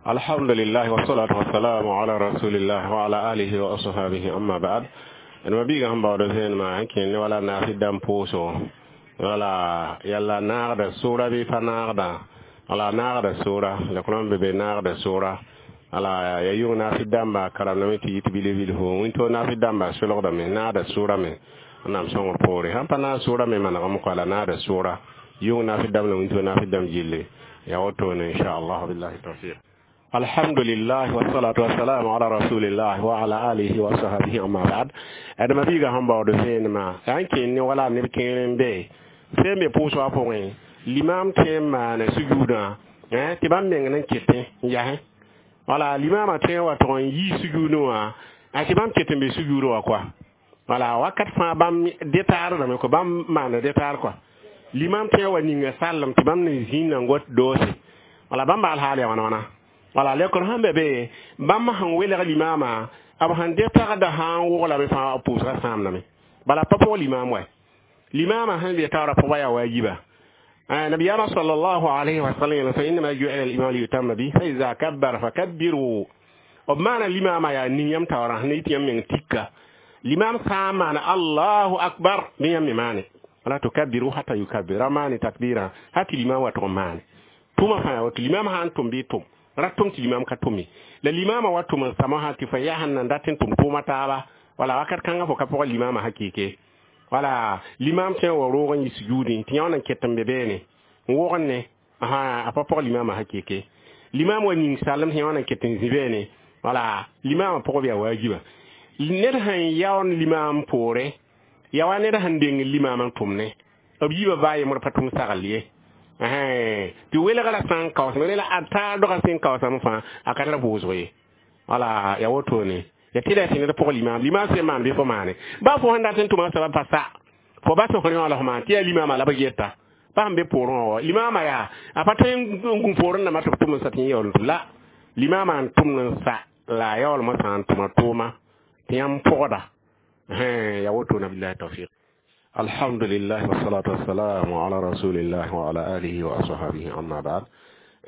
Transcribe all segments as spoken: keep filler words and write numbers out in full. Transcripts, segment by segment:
Alhamdulillah wassalatu wassalamu ala rasulillah wa ala alihi wa ashabihi, amma ba'd. D ma biiga sẽn baood vẽenemã sẽn kẽnd ne wala naasɩ dãmb pʋʋsgo, wala yalla naagda sʋʋra bɩ pa naagda, wala naagda sʋʋra la kõm be be naagda sʋʋra, wala ya yʋng naasɩ dãmba karamdame tɩ yit bil-bilfu wĩnto naasɩ dãmba solgdame naagda sʋʋra me. Wẽnnaam sõngr poore sãn pa naag sʋʋra me manegame kɔa, la naagda sʋʋra yʋng naasɩ dãmb la wĩnto naasɩ dãmb gilli ya wotone, inchallah, billahi tawfiq. Alhamdulillah wassalatu wassalamu ala rasulillah wa ala alihi wa sahbihi, amma ba'd. D ma biiga sẽn baood vẽenemã yaa n kẽnd ne wala neb kẽer n be sẽn be pʋʋsgã pʋgẽ, limam tõe n maana sujuudã tɩ bãmb meng n ketẽ n yasẽ, wala limamã tõe n wa tʋg n yii sujuudẽ wã tɩ bãmb ket n be sujuudẽ wã koa, wala wakat fãa bãmb detaardame ko bãmb maana detaar koa. Limam tõe n wa ninga sallem tɩ bãmb ne zĩnda n got doose, wala bãmb baal haal ya wãna wãna, wala lekr sẽn be be bãmb sẽn welg limama b sẽn dɩ tagda sã n woglame fãa b pʋʋsga sãamdame, bala pa pʋg limam wa limama sẽn be taoora pʋga yaa waajiba. Nabiyaamã sallallahu alayhi wa sallam yeela: fa innama ju'ila al-imam liyutamma bihi, fa iza kabbara fakabbiru. B maana limama yaa ning yãmb taoorã sẽn yit yãmb meng tikka. Limam sã n maana allahu akbar bɩ yãmb me maane, wala tukabbiru hatta yukabbir, ra maane takbira ha tɩ limam wa tʋg n maane tʋma fãa yaa woto. Limam sã n tʋm bɩ tʋm ra tʋm tɩ limam ka tʋme, la limama wa tʋm n samã sã tɩ fo yaa sẽn nan dat n tʋm tʋʋma taaba, wala wakat kãngã fo ka pʋgã limama hakɩɩke, wala limam tõe n wa roog n yi sujuudẽ tɩ yã n ket n be beene n wogn ne a pa pʋg limama hakɩɩke. Limam wa ning sallem tɩ yã n ket n zĩ beene, wala limama pʋgb yaa waajiba. Ned sẽn yaoon limam poore ya wa ned sẽn deng limam n tʋmne b yiibã baa yembr pa tʋm sagl ye tɩ welgra sã n kaoosame rela a taar dogã sẽn kaoosame fãa a ka tar vʋʋsg ye, wala ya wotone ya tɩ la tɩ ned pʋg limam. Limam sẽn maan bɩ fo maane baa fo sẽn dat n tʋma soaba pa sa fo bas fo yõ la fo maan tɩ yaa limama la b geta pa sẽn be poorẽ wã. Limama yaa a pa tõe n gũ poorẽ nambã tɩ b tʋm n sa tɩ yẽ yaool n tʋm la limama n tʋmd n sa la a yaoolmã sã n tʋma tʋʋma tɩ yãmb pʋgda ya wotone, billahi tawfiq. Alhamdulillah wassalatu wassalamu ala rasulillah wa ala alihi wa ashabihi, amma ba'd.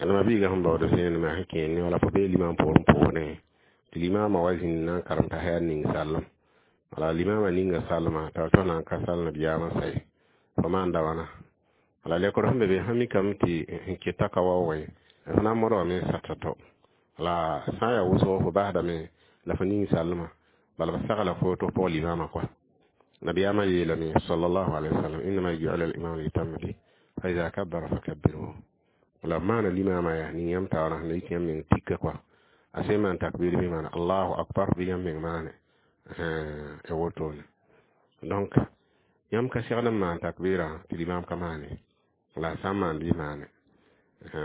D ma biiga sẽn baood vẽenemã sẽn kẽend ne wala fo bee limam poorẽ pʋʋsdẽ tɩ limama wa zĩnd na n karem t'a yaa ning sallem, wala limama ninga sallma t'a tõe na n ka sall nabiyaamã say fo maanda wãna, wala lekr sẽn be be sã mikame tɩ n keta ka waoogẽ f na n modgame n sata to, la sã n yaa wʋsgo fo basdame la fo ning sallma, bala b sagla fo tɩ f pʋg limama koa. Nabiyaamã yeelame sallallahu alayhi wa sallam: innama ju'ila al-imam liyutamma bihi, fa iza kabbara fakabbiruhu. La maana limama yaa ning yãmb taoorã sẽn yit yãmb meng tikka koa, a sẽn maan takbir bɩ maana allahu akbar bɩ yãmb meng maane ya wotone. Donc yãmb ka segd n maan takbirã tɩ limam ka maane, la a sã n maan bɩ maane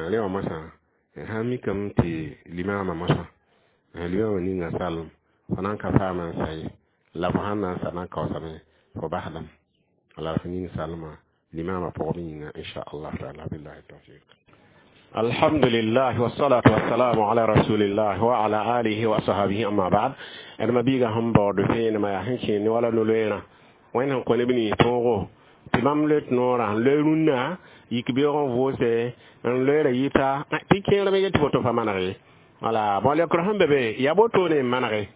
rẽ wã mosã sã n mikame tɩ limama mosã limama ninga sallem fo na n ka paama n sa ye, la fo sãn na n sa na n kaoosame fo basdame la fo ning sallmã limama pʋgb yĩnga, inchallah taala, billahi tawfiq. Alhamdulillah wassalatu wassalamu ala rasulillah wa ala alihi wa sahbihi, amma ba'd. D ma biiga sẽn baood vẽenemã yaa sẽn kẽend ne wala no-loeerã wẽnd sẽn kõ neb nins tõogo tɩ bãmb loet noorã n loe rũnnã yik beoog n vʋʋse n loeera yita tɩ kẽerame yetɩ boto pa maneg ye, wala bõ lekr sẽn be be yaa botone n manege.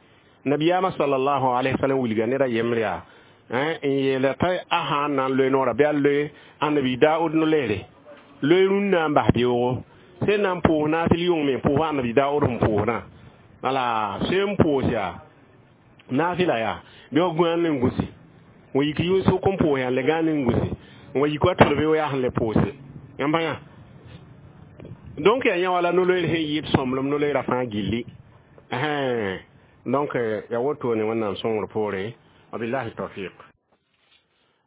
Nabiyaamã sallallahu alaihi wasallam wilga ned a yembr yaa n yeela t'a a sã n na n loe noorã bɩ a loe annabi Daoud no-leere loe rũnnã n bas beoogo sẽn na n pʋʋs naasl yʋng me pʋʋs annabi Daoud sẽn pʋʋsdã, wala sẽn pʋʋs yaa naafɩla yaa bɩ wa gũan ne n gũsi n yik yʋn-sʋk n pʋʋs yaa n le gãan n gũsi n wa yik wa tʋlbe wa yaa sẽn le pʋʋse yãmb yã. Donc yaa yã wala no-loeer sẽn yɩɩd sõmblem no-loeerã fãa gilli. Donc ya wotone Wẽnnaam sõngr poorẽ, wabillahi tawfiq.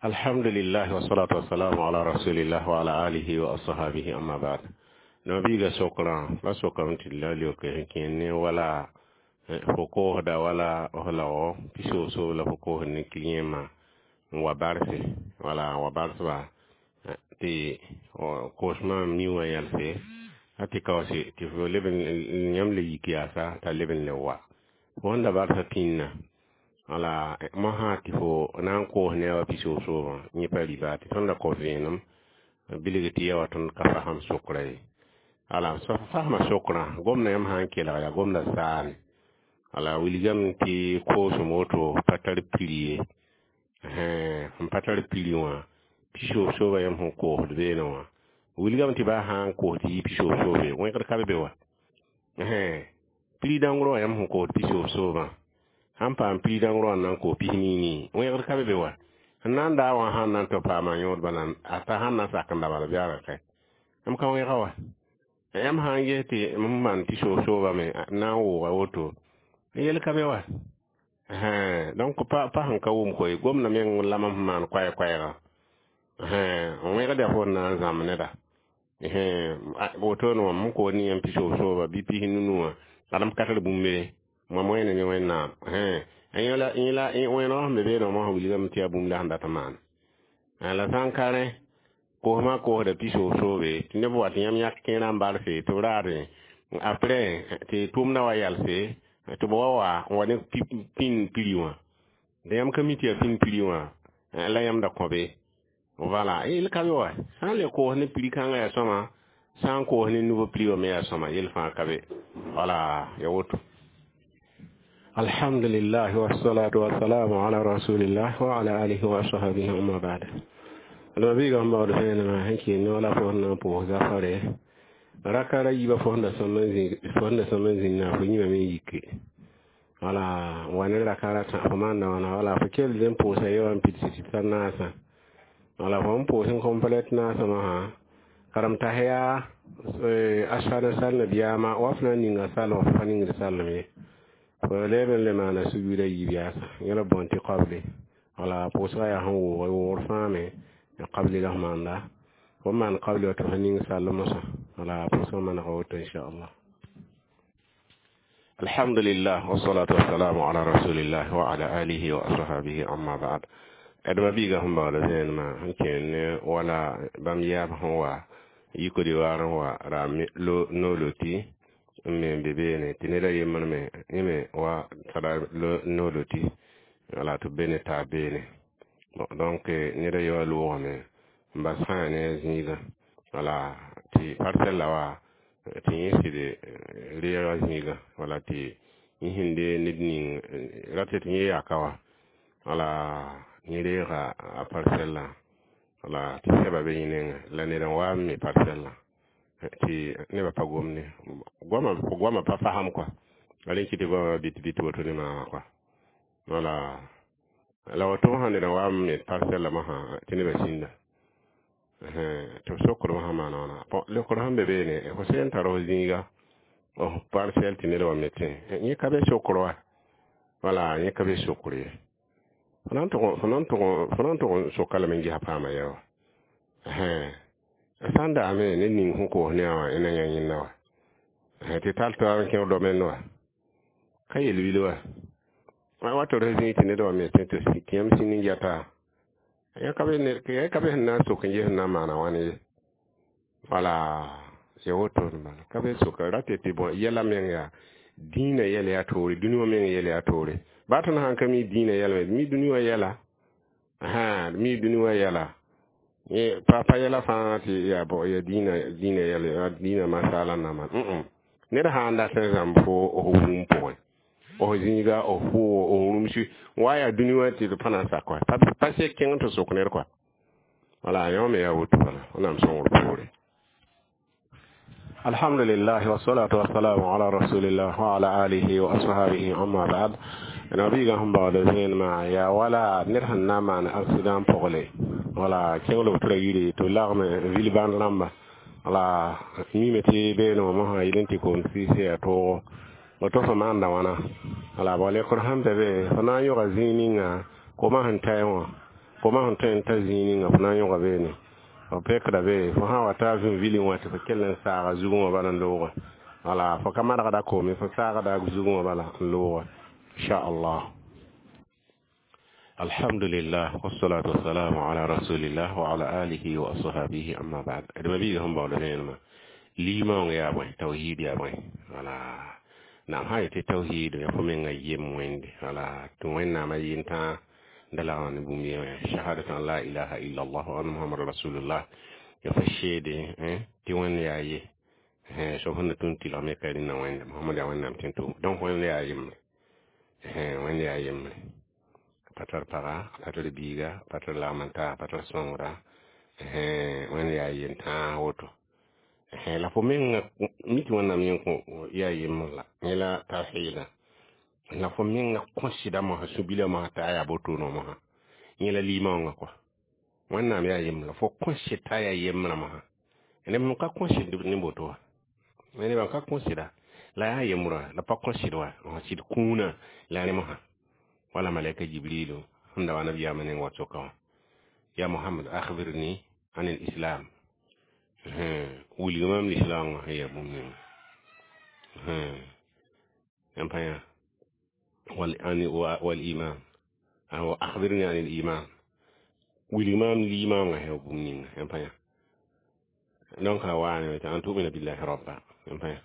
Alhamdulillah wassalatu wassalamu ala rasulillah wa ala alihi wa ashabihi, amma ba'd. Nabiiga sokrã la sokame tɩ la leoke sẽn kẽend ne wala fo koosda wala f lago pisoos la fo koosd ne client n wa barse, wala n wa barsba tɩ koosmã mi wã yɛlse a tɩ kaoose tɩ fo leb yãmb le yik yaasa t'a leb n le wa fo sẽn da barsa pĩnna, wala mosã tɩ fo na n koos ne a wa pisoos-soobã yẽ pa riba tɩ tõnd da kõ vẽenem bilg tɩ ya wa tõnd ka fasam sokra ye. Ala so fasma sokrã gomda yãmb sã n kelg yaa gomda saane wala wilgame tɩ koosem woto pa tar prix ye sẽn pa tar prix wã pisoog-sooba yãmb sẽn koosd beene wã wilgame tɩ baa sã n koos tɩ yɩ pisoog-soobe wẽgd ka be be wa prix dãngr wã yãmb sẽn koosd pisoog-soobã sãn paam prix dãngr wã n na n koos pis nii wẽgd ka be be wa sẽn na n daa wã sãn na n tɩ paama yõod bala a ta sãn na n sak n da bala bɩ a ka m ka wẽga wa yãmb sã n ges tɩ m maan pisoog-soobame na n wʋʋga woto yel ka be wa donc pa pa sẽn ka wʋm koe gomda meng lame sẽn maan koɛɛ-koɛɛgã n wẽgd yaa fo n na n zãmb neda wotone wã m koos ne yãmb pisoog-sooba bɩ pis nunu wã ad m ka tar bũmb ye mam wẽne ne Wẽnnaam yẽla wẽneg sẽn be beene wã mosã wilgame tɩ yaa bũmb la sẽn dat n maana la sã n ka rẽ kosmã kosda pisoog-soobe tɩ neb wa tɩ yãmb yãk kẽerã n barse tɩ b raadẽ après tɩ tʋʋmdã wa yalse tɩ b wa wa n wa ne pĩnd prix wã tɩ yãmb ka mi tɩ yaa pĩnd prix wã la yãmb da kõ be voilà yel ka be wa sã n le koos ne prix kãngã yaa sõma sã n koos ne nouveau prix wã me yaa sõma yel fãa ka be voilà ya woto. Alhamdulillah wassalatu wassalamu ala rasulillah wa ala alihi wa ashabihi amma ba'd. Mabiiga sẽn baood vẽenemã sẽn kɩ ne wala fo sẽn na n pʋʋs zafare raka ra yiibã fo sẽn da sõm n zĩnd fo yĩmame n yike wala n wa ne raka ratã fo maanda wãna wala fo kell n pʋʋsa ye wã n pids tɩ ta naasã wala fo n pʋʋs n complète naasã mosã karem tas yaa asfad n sal nabiyaamã wa f na n ninga salem fo pa ningd salem ye fo leb n le maana sujuuda yiib yaasa yẽla bõn tɩ qabli wala pʋʋsgã yaa sẽn wʋʋg wʋʋgr fãa me qabli la f maanda fo maan qabli wa tɩ f ning sall mosã wala pʋʋsgã manega woto inchallah. Alhamdulillah wassalatu wassalamu ala rasulillah wa ala alihi wa ashabihi amma ba'd. D mabiiga sẽn baood vẽenemã sẽn kẽer ne wala bãmb yaab sẽn wa yik d'ivoire n wa ra no-loti n me n be beene tɩ ned a yembr me yẽ me wa tara no-loti wala tɩ b be ne taab beene. Bon, donc ned a ye wã loogame n bas fãa ne a zĩigã wala tɩ parcelle la wa tɩ yẽ sɩd reega zĩigã wala tɩ yẽ sẽn de ned ning rat tɩ yẽ yaka wa wala yẽ reega a parcelle wala tɩ sɛba be yẽ nengẽ la ned n wa n me parcelle tɩ nebã pa gomde goamã goamã pa fasem kɔa la rẽ kɩ tɩ goamã bɩt bɩt woto ne maamã kɔa wala la woto sã ned n wa n me parcelle mosã tɩ nebã sĩnda tɩ b sokd mosã maana wãna. Bon, leokr sẽn be beene fo sẽn tar f zĩiga f parcelle tɩ ned wa metẽ yẽ ka be sokr wa wala yẽ ka be sokr ye fo na n tʋg n soka lame n gesa paama yɛ wa sã n daame ned ning sẽn koos ne a wã na yã yẽnda wa tɩ tall taab n kẽ domaine wa ka yel-wil wa wa tɩ r zĩig tɩ ned wa metẽ tɩ yãmb sĩnd n geta yã ka be sẽn na n sok n ges n na n maana wãn ye wala ya wotone bala ka be soka rate tɩ bõ yɛla meng yaa dĩinã yɛl yaa toore dũni wã meng yɛl yaa toore baa tõnd sãn ka mi dĩinã yɛl me mi dũni wã yɛla mi dũni wã yɛla pa pa yɛla fãa tɩ yaa bõ yaa dĩinã dĩinã yɛl dĩinã masala n na maan ned sã n dat n zãmb fo f wũm pʋgẽ f zĩiga f pʋʋgo f rũmsi wa yaa dũni wã tɩ d pa na n sak wa pa sek kẽng tɩ sok ned kɔa wala yõ me yaa woto bala Wẽnnaam sõngr poore. Alhamdulillah wassalatu wassalamu ala rasulillah wa ala alihi wa ashabihi amma ba'd. Mabiiga sẽn baood vẽenemã yaa wala ned sẽn na n maan accident pʋgle wala kẽngl b tɩ ra yire tɩ b lagme vil bãnd rãmba wala mime tɩ beene wã mosã yel n tɩ koom sɩɩsẽ yaa toogo woto fo maanda wãna wala bao lekr sẽn be be fo na n yõga zĩig ninga koma sẽn taɛ wã koma sẽn tõe n ta zĩig ninga fo na n yõga beene f pekda be fo sã wa taa vĩ vilẽ wã tɩ fo kell n saaga zugẽ wã bala n loogã wala fo ka madgda koome fo saagda zugẽ wã bala n loogã inchallah. Alhamdulillah wassalatu wassalamu ala rasulillah wa ala alihi wa ashabihi amma ba'd. D mabiiga sẽn baood vẽenemã limaoong yaa bõe tawhid yaa bõe wala naam sã yetɩ tawhid ya fo menga yem wẽnde wala tɩ Wẽnnaamã yentã da lagm ne bũmb yẽ shahadatu an la ilaha illa allah wa anna muhammad rasulullah ya fo seede tɩ Wẽnd yaa ye Soab sẽn na tũ n tɩlgme ka rẽnna Wẽnde Mohamad yaa Wẽnnaam tẽn tʋʋm. Donc Wẽnd yaa yembre, Wẽnd yaa yembre, pa tar paga, pa tar biiga, pa tar lagm n taa, pa tar sõngra. Wẽnd yaa yentãag woto la fo menga mi tɩ Wẽnnaam yẽ kõ yaa yembr la yẽ la tawhiida, la fo menga kõsɩda mosã sũ-bilã mosã t'a yaa botoonã mosã yẽ la limaoongã kɔa. Wẽnnaam yaa yembr la fo kõsɩd t'a yaa yembrã mosã. Neb n ka kõsɩd ne boto wã, neb n ka kõsɩda la yaa yembrã la pa kõsɩd wa sɩd kũunã la rẽ mosã. Wala malaika Jibrilu sẽn da wa nabiyaamã neng wa soka wã: ya Mohamad, akhbirni an al-islam, wilg mam lislaamã sẽn yaa bũmb ninga n pa yã wal iman, akhbirni an al-iman, wilg mam limaoongã sẽn yaa bũmb ninga n pa yã. Donc la waane tɩ an tu'mina billahi rabba n pa yã.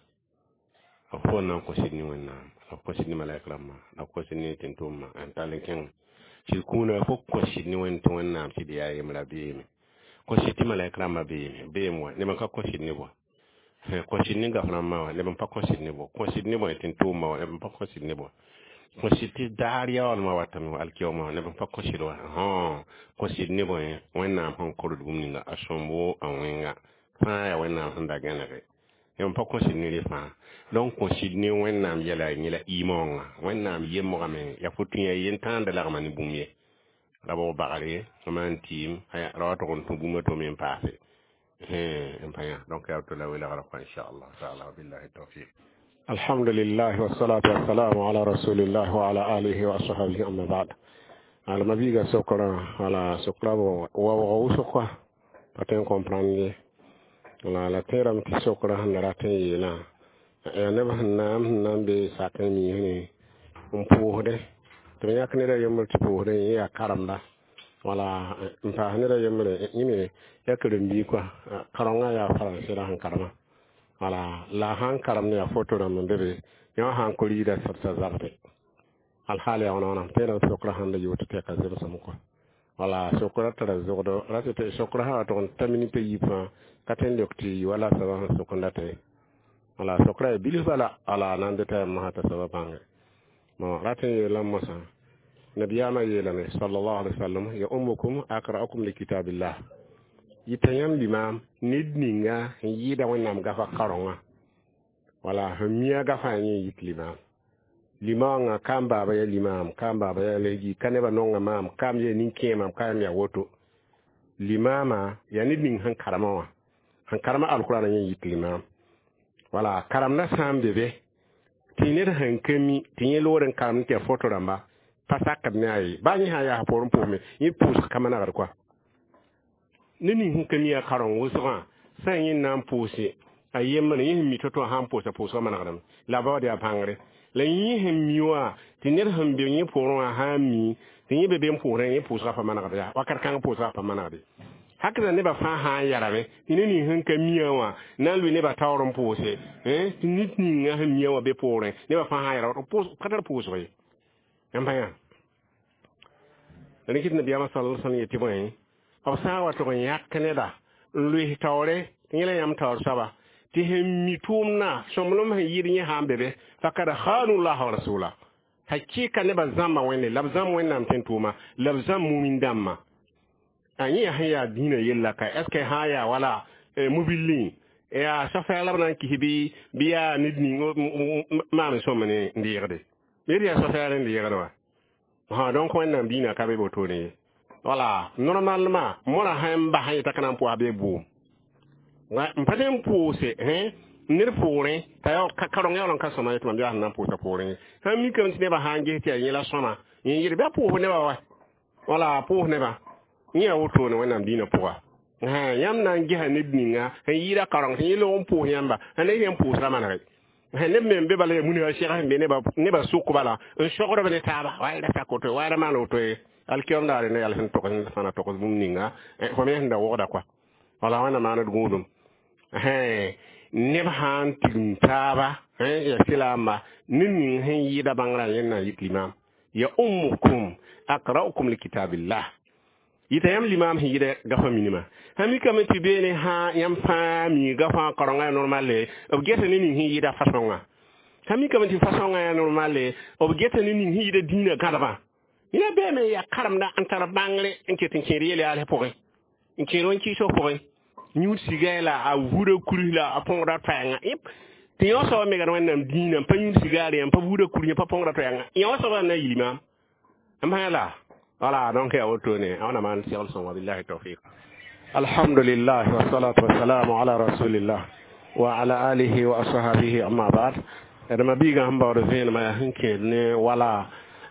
B fo n na n kõsd ne Wẽnnaam, la b kõsd ne malaik rãmbã, la b kõsd ne tẽn-tʋʋmã n tall n kẽng sɩd kũuna. Fo kõsd ne Wẽnd tɩ Wẽnnaam sɩd yaa yembra beeme, kõsd tɩ malaik rãmbã beeme, beem wa neb n ka kõsd ne bõe, kõsd ne gaf rãmbã wã neb n pa kõsd ne bõ, kõsd ne bõe tẽn-tʋʋmã wã neb n pa kõsd ne bõ, kõsd tɩ daar yaoolmã watame wã alkiyoomã wã neb n pa kõsd wa. Kõsd ne bõe Wẽnnaam sẽn kord bũmb ninga a sõmbo a wẽnga fãa yaa Wẽnnaam sẽn da gẽnege, neb n pa kõsd ne rẽ fãa. Donc kõsd ne Wẽnnaam yɛla yẽ la imaoongã. Wẽnnaam yemgame yaa fo tũ yaa yentãanda lagma ne bũmb ye ra bog bagre maan tɩɩm ra wa tʋg n tũ bũmb a to me n paase n pa yã. Donc yaa to la welgra kɔa inchallah taala. Wabillahi tawfiq. Alhamdulillah, wassalatu wassalamu ala rasulillah wa ala alihi wa ashabihi, amma ba'd. Ala mabiga sokra wala sokra bo waoogã wʋsg kɔa pa tõe n comprendre ye la la tẽerame tɩ sokra sẽn da rat n yeelã yaa neb sẽn na n sẽn na n be sak n miisne n pʋʋsdẽ tɩ b yãk ned a yembr tɩ pʋʋsdẽ yẽ yaa karemda wala n paas ned a yembre yẽ me yaa karen-biig kɔa, karengã yaa faransẽ la sẽn karema wala la sãn karem ne yaa foto rãmb n be be yẽ wã sãn koriida sẽbsa zabde alhaal yaa wãna wãna. Tẽedame sokra sãn da yoot tɩ ka zemsem kɔa wala sokra tara zogdo rat tɩ sokra sã wa tʋg n ta minit a yiib fãa ka tõe n leok tɩ wala soaba sẽn sok n datẽ wala sokra yaa bilf bala ala na n dɩta yam mosã t'a soaba bãnge. Bon, rat n yeelame mosã nabiyaamã yeelame sallallahu alaihi wasallam: ya ummukum aqra'ukum li kitabillah, yɩta yãmb limaam ned ninga sẽn yɩɩda Wẽnnaam gafa karongã wala sẽn mi a gafã yẽ yit limaam. Limaoongã ka n baaba yaa limaam, ka n baaba yaa legi, ka nebã nonga maam, ka m yaa nin-kẽemam, ka yam yaa woto. Limaamã yaa ned ning sẽn karema wã, sẽn karema alkurana yẽ yit limaam. Wala karemdã sã n be be tɩ ned sẽn ka mi tɩ yẽ loor n karemd tɩ yaa foto rãmba pa sakd ne a ye baa yẽ sã yaa poorẽ pʋgme yẽ pʋʋsg ka manegd kɔa. Ned ning sẽn ka mi a kareng wʋsgã sã n yẽ na n pʋʋse a yembre yẽ sẽn mi to-to sã n pʋʋsa pʋʋsgã manegdame la baood yaa bãngre la yẽ sẽn mi wã tɩ ned sẽn be yẽ poorẽ wã sã n mi tɩ yẽ be be n pʋʋsdẽ yẽ pʋʋsgã pa manegd yaa wakat kãng pʋʋsgã pa manegde hakda nebã fãa sã n yarame tɩ ned ning sẽn ka mia wã na n lʋɩ nebã taoor n pʋʋse tɩ ned ninga sẽn mia wã be poorẽ nebã fãa sã n yara ka tar pʋʋsg ye n pa yã. Rẽ kɩt nabiyaamã sal sãn yetɩ bõe b sã n wa tʋg n yãk neda n loes taoore tɩ yẽ la yãmb taoor soaba tɩ sẽn mi tʋʋmdã sõmblem sẽn yɩɩd yẽ sã n be be fakad khanu llah wa rasula, hakɩka nebã zãmba Wẽnde la b zãmb Wẽnnaam tẽn-tʋʋma la b zãmb mumin dãmbã. A yẽ yaa sẽn yaa dĩinã yella ka est ce que sã n yaa wala mobilẽ yaa safɛɛg la b na n kis bɩ bɩ yaa ned ning maan sõm ne n deegde bɩ d yaa safɛɛg n deegd wa ha. Donc Wẽnnaam dĩinã ka be wotone ye. Wala normalement mõra sãn n bas n yeta ka na n pʋas bɩ bʋʋm n pa tõe n pʋʋse ned poorẽ t'a kareng yaool n ka sõma tɩ mam yaa sẽn na n pʋʋsa poorẽ sãn mikame tɩ nebã sã n ges tɩ yaa yẽ la sõma yẽ yɩl bɩ a pʋʋs nebã wa wala a pʋʋs nebã yẽ yaa wotone Wẽnnaam dĩinã pʋga. Yãmb na n gesa ned ninga sẽn yɩɩda kareng tɩ yẽ log n pʋʋs yãmba sẽn ne yẽn pʋʋsra manege neb me n be bala yaa munga sɛg sẽn be nebã sʋk bala n sogdb ne taaba wa ra sak woto wa ra maan woto ye alkiyom daare ne yal sẽn togs fãna togs bũmb ninga fo me sẽn da wogda kɔa wala Wẽnna maand gũudum neb sã n tigim taaba ya sɩlaamba ned ning sẽn yɩɩda bãngrã yẽnd na n yit limaam ya ummukum aqra'ukum li kitabillah. Yɩta yãmb limaam sẽn yɩda gafã minimã sã mikame tɩ beene sã yãmb fãa mi gafã kaorenga yaa normale, b geta ne ning sẽn yɩda fasõngã. Sã mikame tɩ fasõngã yaa normale, b geta ne ning sẽn yɩda dĩinã gãdbã. Yẽna beeme yaa karemda n tar bãngre n ket n kẽed yel yaals pʋgẽ, n kẽed wẽn-kɩɩsg pʋgẽ, yũud siga la a vuda kurus la a põgda toɛɛngã tɩ yõ soaba megd Wẽnnaam dĩinã, n pa yũud sigaar n pa vuda kurus, n pa põgda toɛɛngã, yõ soaba na yil maam m la. Voilà, donc ya wotone ona man segl sõngo. Billahi tawfiq. Alhamdulillah, wassalatu wassalamu ala rasulillah wa ala alihi wa ashabihi, amma ba'd. D mabiigã sẽn baood vẽenemã yaa sẽn kẽed ne wala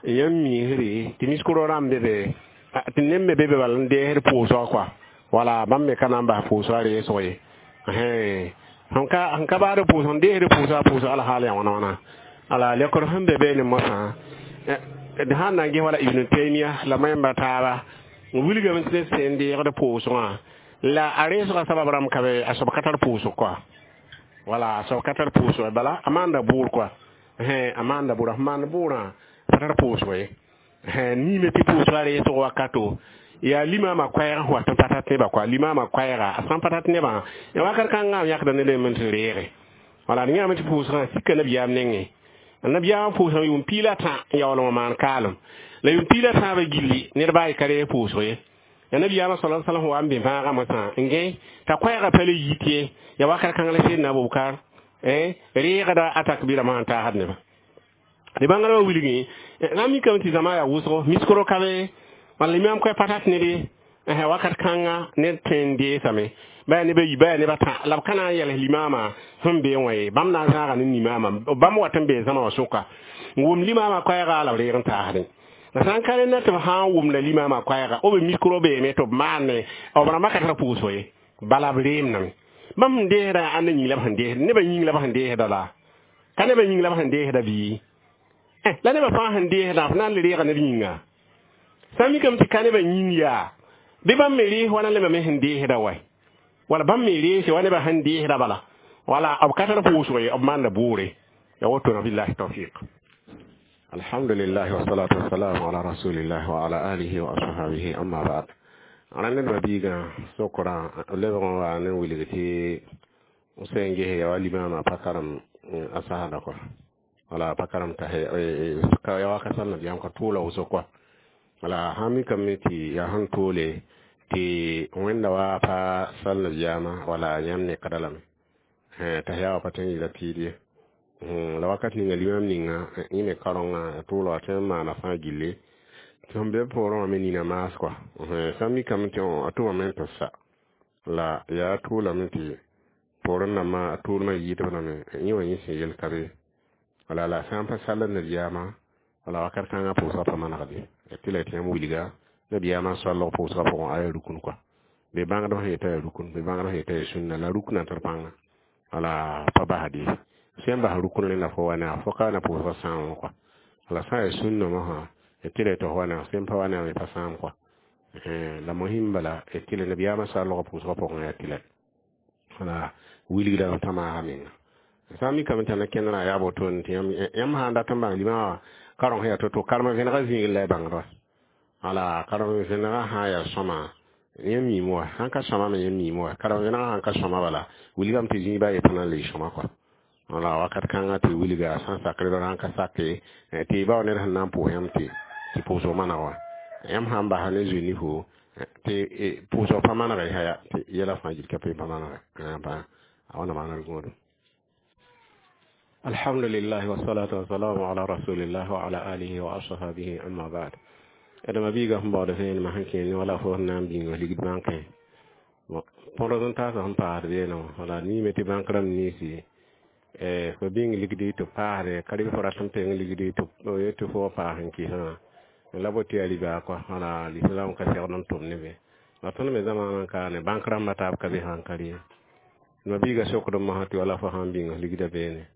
yãmb miisre tɩ miskoro rãmb be be tɩ neb me be be bala n deesd pʋʋsga kɔa. Wala bãmb me ka na n bas pʋʋsga reesg ye. Sẽn ka sẽn ka baad pʋʋsg n deesd pʋʋsga pʋʋsg alhaal yaa wãna wãna. Ala lekr sẽn be beene mosã, d sãn na n ges wala Ibn Taymia la mayẽmba taaba n wilgame tɩ sẽn deegd pʋʋsgã la a reesgã sabab rãmb ka be a soab ka tar pʋʋsg kɔa. Wala a soab ka tar pʋʋsg, bala a maanda bʋʋr kɔa, a maanda bʋʋr, sẽn maand bʋʋrã pa tar pʋʋsg ye. Niime tɩ pʋʋsga reesg wakato yaa limaamã koɛɛg sẽn wat n pa tat nebã kɔa. Limaamã koɛɛga a sãn pa tat nebã ya wakat kãngã yãkda ne lem n tɩ reege. Wala d yãame tɩ pʋʋsgã sika nabiyaam nengẽ. Nabiyaamã pʋʋsgã yʋʋm piig la tã n yaool n maan kaalem la yʋʋm piig la tãabã gilli ned baa y ka reeg pʋʋsg ye. Ya nabiyaamã sala salam wa n bẽ vãagã mosã n gẽ t'a koɛɛgã pa le yit ye, ya wakat kãng la Sedna Abubakar reegda a takbɩrã masã n taasd nebã. Tɩ bãngrã wã wilgẽ na mikame tɩ zãma yaa wʋsgo miskro ka be wala limaam koɛ pa tat ned ye. Wakat kãnga ned tõe n deesame, ba yaa neb a yi, ba yaa neb a tã, la b ka na n yɛls limaamã sẽn bee wã ye. Bãmb na n zãaga ne limaamã, bãmb wat n bee zãma wã sʋka n wʋm limaamã koɛɛga la b reeg n taasdẽ. La sã n ka rẽnda tɩ b sã n wʋmda limaamã koɛɛga, b mikro beeme tɩ b maane b rãmbã ka tar pʋʋsg ye, bala b reemdame. Bãmb sẽn deesdã ãnda yĩng la b sẽn deesd nebã yĩng la b sẽn deesda la ka nebã yĩng la b sẽn deesda bii la nebã fãa sẽn deesdã f na n le reega neb yĩnga. Sã n mikame tɩ ka nebã yĩng yaa bɩ bãmb me rees wãna nebã me sẽn deesda wa, wala bãmb me reese wa nebã sẽn deesda bala. Wala b ka tar pʋʋsg ye, b maanda bʋʋre ya woto na. Billahi tawfiq. Alhamdulillah, wassalatu wassalamu ala rasulillah wa ala alihi wa ashabihi, amma ba'd. Rãnd ned mabiigã sokra lebg n wa ne wilg tɩ sẽn ges ya wa limaamã pa karem a sasda kɔa, wala pa karem t'a ya wa ka sal nabiyaam ka tʋʋla wʋsg kɔa. Wala sã mikame tɩ yaa sẽn toole tɩ Wẽnda wa pa sal nabiyaamã, wala yãmb nekda lame t'a yaa wa pa tõe n yɩla tɩɩd ye. La wakat ninga limaam ninga yẽ me kaorenga tʋʋla wa tõe n maana fãa gilli tɩ sẽn be poorẽ wã me nina maas kɔa. Sã n mikame tɩ a tʋmame n tɩ sa la yaa tʋʋlame tɩ poorẽ nambã a tʋʋlmã yɩɩdb lame yẽ wã yẽ sẽn yel ka be. Wala la sã n pa sall nabiyaamã, wala wakat kãngã pʋʋsgã pa manegde tɩ la tɩ yãmb wilga nabiyaamã soalg pʋʋsgã pʋgẽ a yaa rukn kɔa. Be bãngdb sẽn yetã yaa rukn, be bãngdb sẽn yetã yaa sũnna la ruknã tar pãnga wala pa basd ye. Sẽn bas rukn rẽnda fo wa ne fo ka na pʋʋsgã sãam kɔa. Wala sã n yaa sũnna mosã tɩ la tɩ fo wa ne sẽn pa wa ne pa sãam kɔa. La mohim bala tɩ la nabiyaamã soalg pʋʋsgã pʋgẽ yaa tɩ la wala wilgdame t'a maaga menga. Sã n mikame t'a na kẽndrã yaa wotone tɩ yãmb sã n dat n bãng limã wã kareng sẽn yaa to-to karem vẽnega zĩigr la y bãngd wa. Wala karem vẽnega sã n yaa sõma yãmb miime wa, sãn ka sõma me yãmb miime wa. Karem vẽnega sãn ka sõma bala wilgame tɩ zĩig baa ye pa na n le sõma kɔa. Wala wakat kãngã tɩ wilga sã n sakr sãn ka sake tɩ y bao ned sẽn na n pʋʋs yãmb tɩ tɩ pʋʋsg maneg wa. Yãmb sã n basa ne zoe nifo tɩ pʋʋsg pa maneg y ya tɩ yɛla fãa gil ka pa pa manege a wãna maana gõodum. Alhamdulillah, wassalatu wassalamu ala rasulillah wa ala alihi wa ashabihi, amma ba'd. Adama biiga sẽn baood vẽenemã sẽn kẽer ne wala fo sẽn na n bĩng ligd bãnkẽ põd n taasã sẽn paasd beene wã. Wala niime tɩ bãnk rãmb ninsi fo bĩng ligdi tɩ paasde ka rɩ fo rat n peng ligdi tɩ tɩ fo wa paas n kɩsã la bo tɩ yaa riba kɔa. Wala lislam ka segd n tʋm ne be la tõnd me zamaanã n kaane bãnk rãmbã taab ka be sãn ka rɩ ma biiga sokd n mosã tɩ wala fo sãn bĩng ligda beene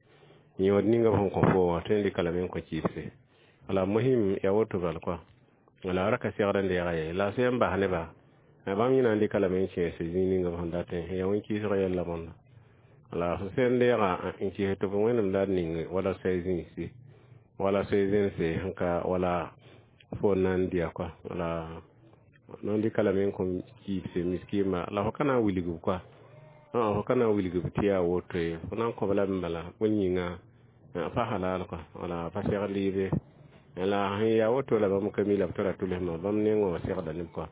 yõod ninga b sẽn kõ fo wã tõe n dɩka lame n kõ kɩɩbse. Wala mohim yaa woto bal kɔa. Wala ra ka segd n deega ye la sẽn bas neba bãmb yẽ na n dɩka lame n kẽese zĩig ninga b sẽn datẽ yaa wẽn-kɩɩsg yɛlla bõnda. Wala f sẽn deega n kɩs tɩ b Wẽnnaam la d ning wala soay zĩigsi wala soay zẽnse sẽn ka wala fo n na n dɩa kɔa. Wala Nan dɩka lame n kõm kiibse miskiimba la fo ka na n wilg b koa fo ka na n wilg b tɩ yaa woto ye fo na n kõb lame bala bõe yĩnga pa halal kɔa wala pa segd lɩɩbe la sẽn yaa woto la bãmb ka mi la b tara tʋlsmã bãmb nengã wã segda neb kɔa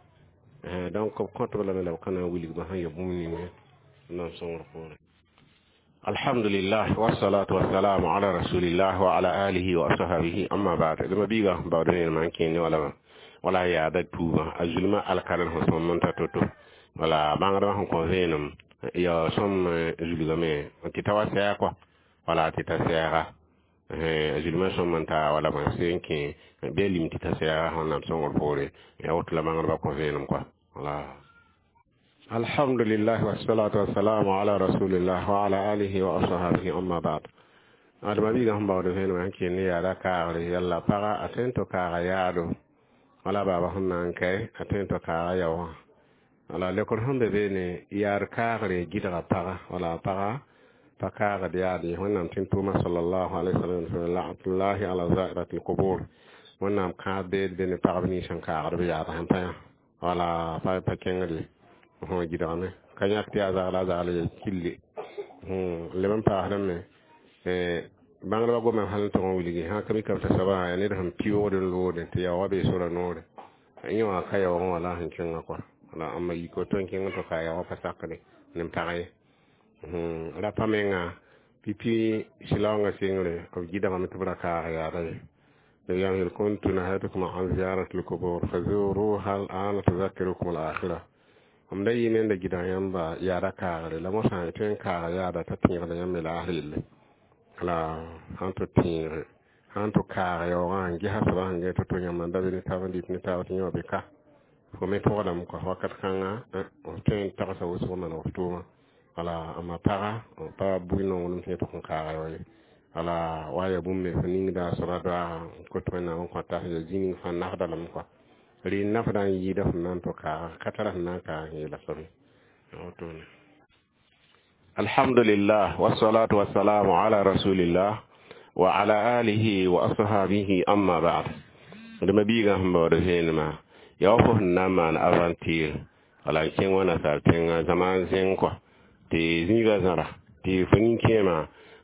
donc b kõtb lame la b ka na n wilg bã sẽn ya bũmb ning nan sõngr poorẽ. Alhamdulillah, wassalatu wassalamu ala rasulillah wa ala alihi wa ashabihi, amma ba'd. Dama biga bawda ne man kene wala wala yaada tuuba a zulma alkalan sẽn sõm n ta to-to wala bãngdbã sẽn kõ vẽenem ya sõm zulgame tɩ ta wa sɛɛg kɔa wala tɩ ta sɛɛga a zulmã sõm n ta wala bõe sẽn kẽ bɩ a lim tɩ ta sɛɛga Wẽnnaam sõngr poore ya woto la bãngdbã kõ vẽenem kɔa wala. Alhamdulillah, wassalatu wassalamu ala rasulillah wa ala alihi wa ashabihi, amma ba'd. Adama biiga sẽn baood vẽenem sẽn kell ne yaada kaagre yalla paga a tõe n tɩ kaaga yaado wala baaba sẽn na n kae a tõe n tɩ kaaga yao wã wala lekr sẽn be beene yaad kaagre gɩdga paga wala paga pa kaagd yaad ye. Wẽnnaam tẽn tʋʋma sallallahu alaihi wasallam laatullahi ala zairati lqubur. Wẽnnaam kãab beed be ne pagb nins sẽn kaagd b yaad sẽn pa yã wala pa pa kẽngd ye gɩdgame ka yãk tɩ yaa zagla a zagl ye kille leb n paasdame bãngdbã gomame hal n tʋg n wilgi sã ka mikame t'a soabã yaa ned sẽn pɩʋʋgd n loode tɩ yaoogã bee sora noore yẽ wã ka yaoogẽ wã la a sẽn kẽngã kɔa la ãmba yik woto n kẽng n tɩ ka yaoogã pa sakde ne pag ye rapa menga pipi silaoongã sengre b gɩdgame tɩ b ra kaag yaada ye. Yani kuntu nahaytukum an ziyarati lqubur fazuruha al'ana tuzakirukum al-akhirah. M da yɩ nenda gɩdg yãmba yaada kaagre la mosã y tõe n kaaga yaada t'a tẽegda yãmb me laasr yelle la sãn tɩ tẽege sãn tɩ kaag yaoogã n gesa soaba sẽn gẽ to-to yãmba n da be ne taab n dɩt ne taab tɩ yẽ wã be ka fo me pʋgdame kɔa wakat kãnga f tõe n tagsa wʋsg n maneg f tʋʋmã wala amma paga pa bʋɩ nonglem tɩ yẽ tʋg n kaaga yao ye wala wa ya bũmb me fo ningda a soaba doaagã n kot Wẽnnaam n kõta ya zĩ ning fãa nafda lame kɔa rɩ nafda n yɩɩda fo na n tɩ kaaga ka tara sẽn na n kaag n yeela soab ye wotone. Alhamdulillah, wassalatu wassalamu ala rasulillah wa ala alihi wa ashabihi, amma ba'd. Dama biiga sẽn baood vẽenemã yaa wa fo sẽn na n maan aventure wala n kẽng wã nasaar tẽngã zãma zẽng kɔa tɩ zĩigã zãra tɩ fo nin-kẽemã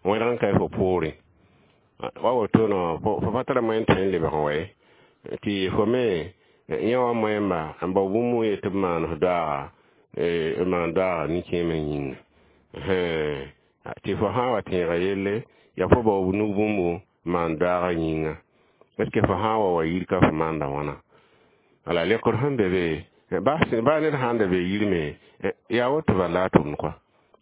wẽrg n ka fo poorẽ wa woto no fo pa tara moyen tõe n lebg n wa ye tɩ fo me yẽ wã moẽmba n bao bũmb n yet tɩ b maan f doaaga b maan doaaga nin-kẽemã yĩnga tɩ fo sã n wa tẽega yelle yaa fo bao nug bũmbu maan doaaga yĩnga est ce que fo sã n wa wa yir ka fo maanda wãna wala lekr sẽn be be baa ned sãn da be yir me yaa woto bala la a tʋmd kɔa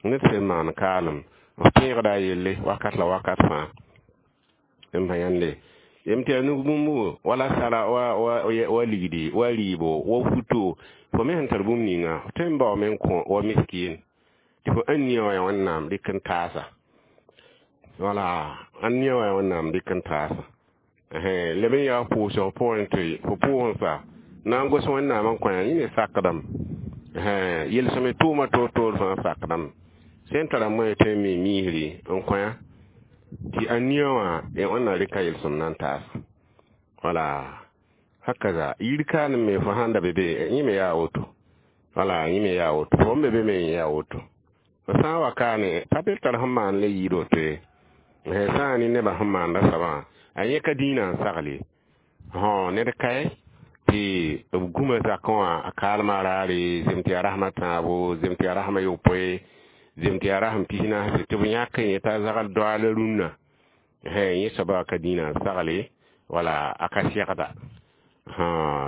ned sẽn maan kaalem f tẽegda a yelle wakat la wakat fãa n pa yãnde yem tɩ yaa nug bũmbu wala sara wa wa ligdi wa rɩɩbo wa futo fo me sẽn tar bũmb ninga f tõe n baoome n kõ wa miskin tɩ fo ãn nia wã yaa Wẽnnaam dɩk n taasa wala ãn nia wã yaa Wẽnnaam dɩk n taasa leb n yaa pʋʋsg pʋgẽ tɩ fo pʋʋs n sa na n gos Wẽnnaam n kõ yã yẽ ne sakdame yelsẽme tʋʋma toor-toor fãa sakdame sẽn tara moẽ tõe n mi miisri n kõ yã tɩ a nia wã Wẽnnaam rɩka yelsem na n taasa wala hakaza yir kaane me fo sãn da be be yẽ me yaa woto wala yẽ me yaa woto fo n be be me yẽ yaa woto fo sã n wa kaane pa be tar sẽn maan le yɩɩd woto ye sã n ne nebã sẽn maanda soabã a yẽ ka dĩinã n sagle ned kae tɩ b gũma zakẽ wã a kaalmã raare zem tɩ yaa rasmã tãabo zem tɩ yaa rasmã yopoe zem tɩ yaa rasem pis naase tɩ b yãk yẽ t'a zagl doaala rũnnã yẽ soaba ka dĩinã n sagle wala a ka segda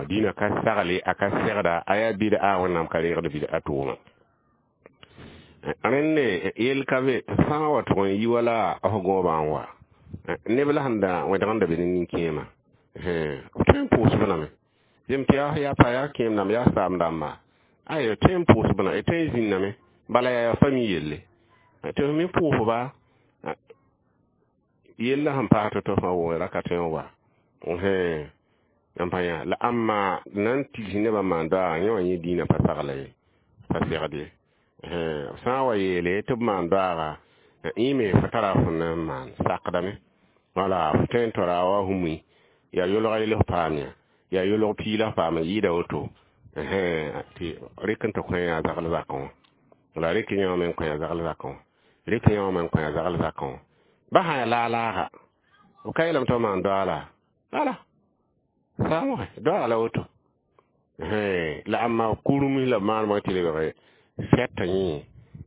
dĩinã ka sagle a ka segda a yaa bɩd-a Wẽnnaam ka reegd bɩd-a tʋʋma rẽnd yell ka be sã n wa tʋg n yi wala f gõobã n wa neb la sẽn da wẽdg n da be ne nin-kẽemã b tõe n pʋʋsb lame zem tɩ yaa yaa pa yaa kẽem dãmb yaa saam dãmba ay tõe n pʋʋsb la tõe n zĩnname bala yaa fami yelle tɩ f me pʋʋsba yella sẽn paas tɩ fãa wʋgẽ ra ka tõe n wa n pa yã la ãmba na n tigs nebã maan doaaga yẽ wã yẽ dĩinã pa sagla ye pa segd ye sã n wa yeele tɩ b maan doaaga yẽ me fo tara fo na n maan sakdame wala fo tõe n tora wa hũmui yaa yolga yel f paam yã yaa yolg pii la f paam yɩɩda woto Tɩ rɩk n tɩ kõ yaa zagl zakẽ wã la rɩk yẽ wã me n kõ yaa zagl zakẽ wã rɩk yẽ wã me n kõ yaa zagl zakẽ wã ba sã yaa laag-laaga b ka yeelame tɩ b maan doaala bala saamge doaala la woto la ãmba kurmis la b maanema tɩ lebg fɛtã yẽ